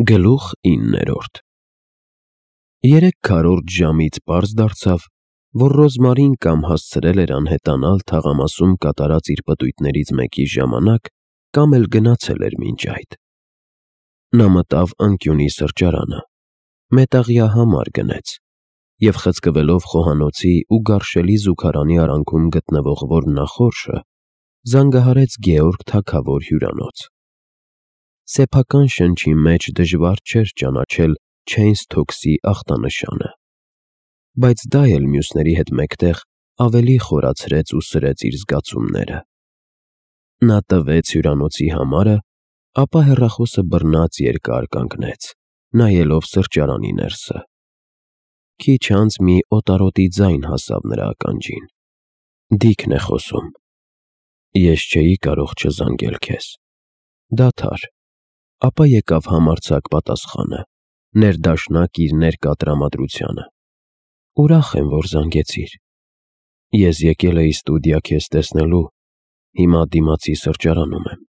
Գլուխ 9 Երեք քառորդ ժամից պարզ դարձավ, որ Ռոզմարին կամ հասցրել էր անհետանալ թաղամասում կատարած իր պտույտներից մեկի ժամանակ, կամ էլ գնացել էր մինչ այդ։ Նա մտավ անկյունի սրճարանը, մետաղյա համար գնեց և խցկվելով խոհանոցի ու գարշելի զուգարանի արանքում գտնվող ոռնախորշը, զանգահարեց Գեորգ թագավոր հյուրանոց։ Սեփական շնչի մեջ դժվար չէր ճանաչել Չեյնսթոքսի ախտանշանը, բայց դա էլ մյուսների հետ մեկտեղ ավելի խորացրեց ու սրեց իր զգացումները։ Նա տվեց հյուրանոցի համարը, ապա հեռախոսը բռնած երկար կանգնեց, նայելով սրճարանի ներսը։ Քիչ անց մի օտարոտի ձայն հասավ նրա ականջին. Դիքն է խոսում։ Ես չէի կարող չզանգել քեզ։ Դադար։ Ապա եկավ համարձակ պատասխանը, ներդաշնակ իր ներկա տրամադրությանը. Ուրախ եմ, որ զանգեցիր։ Ես եկել էի ստուդիա քեզ տեսնելու, հիմա դիմացի սրճարանում եմ։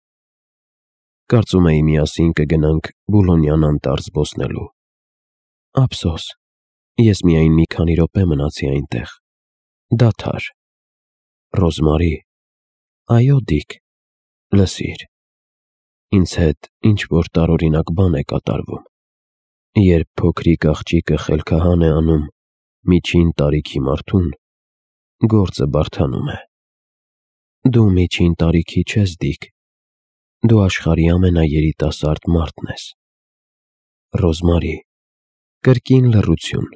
Կարծում էի միասին կգնանք Բուլոնյան անտառ զբոսնելու։ Ափսոս, ես միայն մի քանի րոպե մնացի այնտեղ։ Դադար։ Ռոզմարի։ Այո, Դիք, լսիր։ Ինձ հետ ինչ-որ տարօրինակ բան է կատարվում։ Երբ փոքրիկ աղջիկը խելքահան է անում միջին տարիքի մարդուն, գործը բարդանում է։ Դու միջին տարիքի չես, Դիք։ Դու աշխարհի ամենաերիտասարդ մարդն ես։ Ռոզմարի։ Կրկին լռություն։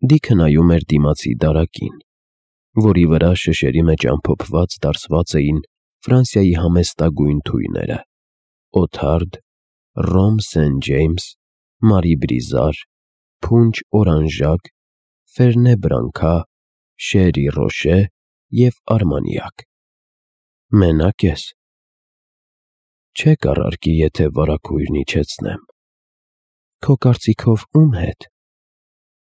Դիքը նայում էր դիմացի դարակին, որի վրա շշերի մեջ ամփոփված դարսված էին Ֆրանսիայի համեստագույն թույները՝ Օթարդ, Ռոմ Սեն Ջեյմս, Մարի Բրիզար, Փունջ Օրանժակ, Ֆերնե Բրանքա, Շերի Ռոշե և Արմանյակ։ Մենակ ես։ Չէ կառարկի, եթե վարագույրն իջեցնեմ։ Քո կարծիքով ում հետ։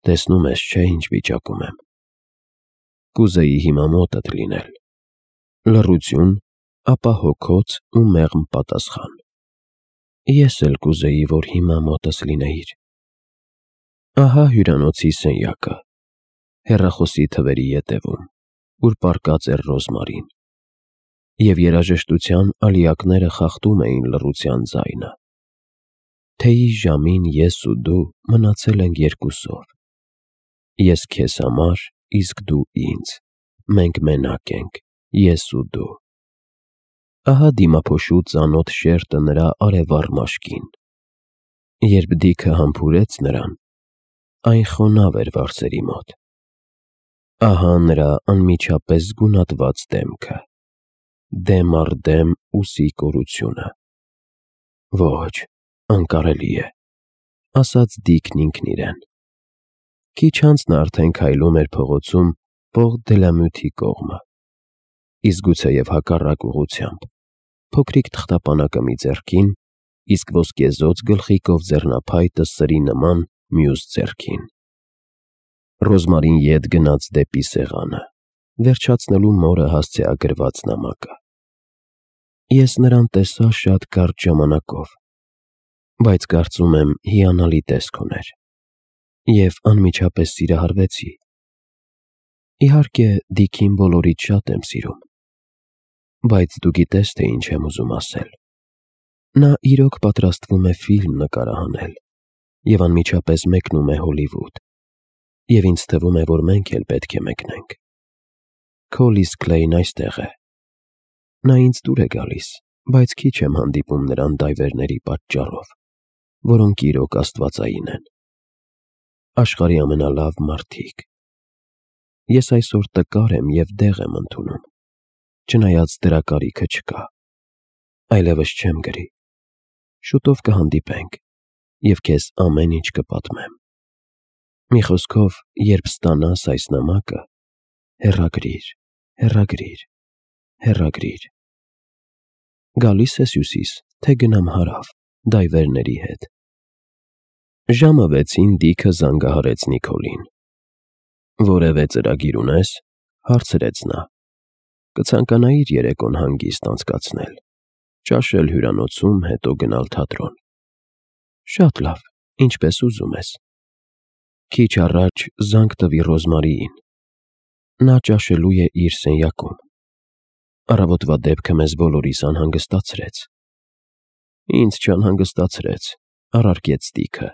Տեսնում ես, չէ, ինչ վիճակում եմ։ Կուզեի հիմա մոտդ լինել։ Լռություն, ապա հոգոց ու մեղմ պատասխան։ Ես էլ կուզեի, որ հիմա մոտս լինեիր։ Ահա հյուրանոցի սենյակը, հեռախոսի թվերի ետևում, ուր պառկած էր Ռոզմարին, և երաժշտության ալիակները խախտում էին լռության ձայնը։ Թեյի ժամին ես ու դու մնացել ենք երկուսով։ Ես քեզ համար, իսկ դու ինձ։ Մենք մենակ ենք, ես ու դու։ Ահա դիմափոշու ծանոթ շերտը նրա արևառ մաշկին։ Երբ Դիքը համբուրեց նրան, այն խոնավ էր վարսերի մոտ։ Ահա նրա անմիջապես զգունատված դեմքը, դեմ առ դեմ ուսի կորությունը։ Ոչ, անկարելի է, ասաց Դիքն ինքն իրեն։ Քիչ անց նա արդեն քայլում էր փողոցում Պող-դե-լա-Մյութի կողմը, իսկ գուցեև հակառակ ուղղությամբ, փոքրիկ թղթապանակը մի ձեռքին, իսկ ոսկեզօծ գլխիկով ձեռնափայտը սրի նման մյուս ձեռքին։ Ռոզմարին ետ գնաց դեպի սեղանը, վերջացնելու մորը հասցեագրված նամակը։ Ես նրան տեսա շատ կարճ ժամանակով, բայց կարծում եմ հիանալի տեսք ուներ, և անմիջապես սիրահարվեցի։ Իհարկե, Դիքին բոլորից շատ եմ սիրում, բայց դու գիտես, թե ինչ եմ ուզում ասել։ Նա իրոք պատրաստվում է ֆիլմ նկարահանել և անմիջապես մեկնում է Հոլիվուդ, և ինձ թվում է, որ մենք էլ պետք է մեկնենք։ Քո Լիզ Քլեյն այստեղ է։ Նա ինձ դուր է գալիս, բայց քիչ եմ հանդիպում նրան դայվերների պատճառով, որոնք իրոք աստվածային են։ Աշխարհի ամենալավ մարդիկ։ Ես այսօր տկար եմ և դեղ եմ ընդունում, չնայած դրա կարիքը չկա։ Այլևս չեմ գրի։ Շուտով կհանդիպենք, և քեզ ամեն ինչ կպատմեմ։ Մի խոսքով, երբ ստանաս այս նամակը, հեռագրիր, հեռագրիր, հեռագրիր։ Գալի՞ս ես Հյուսիս, թե գնամ հարավ, դայվերների հետ։ Ժամը 6-ին Դիքը զանգահարեց Նիկոլին։ Որևէ ծրագիր ունե՞ս, հարցրեց նա։ Կցանկանայիր երեկոն հանգիստ անցկացնել, ճաշել հյուրանոցում, հետո գնալ թատրոն։ Շատ լավ, ինչպես ուզում ես։ Քիչ առաջ զանգ տվի Ռոզմարիին։ Նա ճաշելու է իր սենյակում։ Առավոտվա դեպքը մեզ բոլորիս անհանգստացրեց։ Ինձ չանհանգստացրեց, առարկեց Տիգը։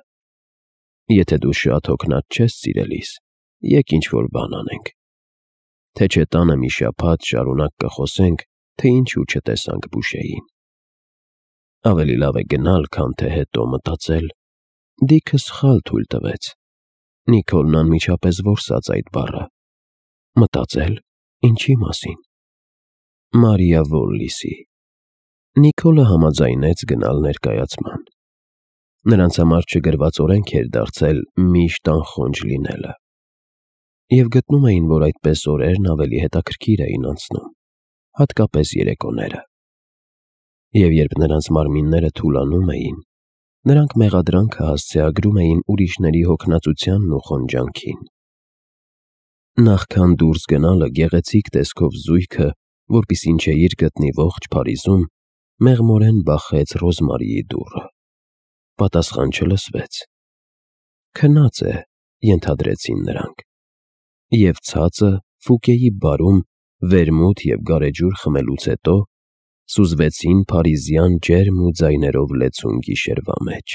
Եթե դու շատ հոգնած չես սիրելիս, եկ ինչ-որ բան անենք։ Թե չէ տանը մի շաբաթ շարունակ կխոսենք, թե ինչու չտեսանք Բուշեին։ Ավելի լավ է գնալ, քան թե հետո մտածել։ Դիքը սխալ թույլ տվեց։ Նիկոլն անմիջապես որսաց այդ բառը։ Մտածել, ինչի մասին։ Մարիա Վոլլիսի։ Նիկոլը համաձայնեց գնալ ներկայացման։ Նրանց համար չգրված օրենք էր դարձել միշտ անխոնջ լինելը։ Եվ գտնում էին, որ այդպես օրերն ավելի հետաքրքիր էին անցնում, հատկապես երեկոները։ Եվ երբ նրանց մարմինները թուլանում էին, նրանք մեղադրանքը հասցեագրում էին ուրիշների հոգնածությանն ու խոնջանքին։ Նախքան դուրս գնալը գեղեցիկ տեսքով զույգը, որպեսզի չէիր գտնի ողջ Փարիզում, մեղմորեն բախեց Ռոզմարիի դուռը։ Պատասխան չլսվեց։ Քնած է, ենթադրեցին նրանք։ Եվ ցածը Ֆուկեի բարում վերմուտ և գարեջուր խմելուց հետո սուզվեցին փարիզյան ջերմ ու ձայներով լեցուն գիշերվա մեջ։